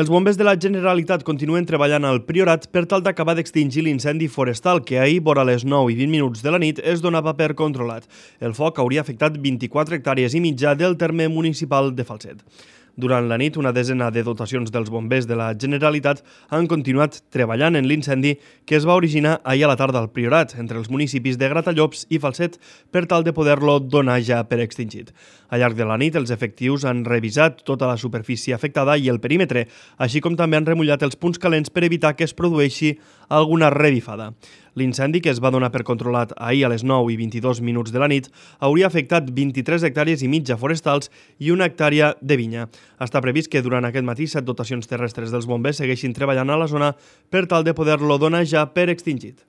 Els bombers de la Generalitat continuen treballant al Priorat per tal d'acabar d'extingir l'incendi forestal que ahir, vora les 9:20 de la nit, es donava per controlat. El foc hauria afectat 24 hectàrees i mitja del terme municipal de Falset. Durant la nit, una desena de dotacions dels bombers de la Generalitat han continuat treballant en l'incendi que es va originar ahir a la tarda al Priorat, entre els municipis de Gratallops i Falset, per tal de poder-lo donar ja per extingit. Al llarg de la nit, els efectius han revisat tota la superfície afectada i el perímetre, així com també han remullat els punts calents per evitar que es produeixi alguna revifada. L'incendi, que es va donar per controlat ahir a les 9:22 de la nit, hauria afectat 23 hectàrees i mitja forestals i 1 hectàrea de vinya. Està previst que durant aquest matí 7 dotacions terrestres dels bombers segueixin treballant a la zona per tal de poder-lo donar ja per extingit.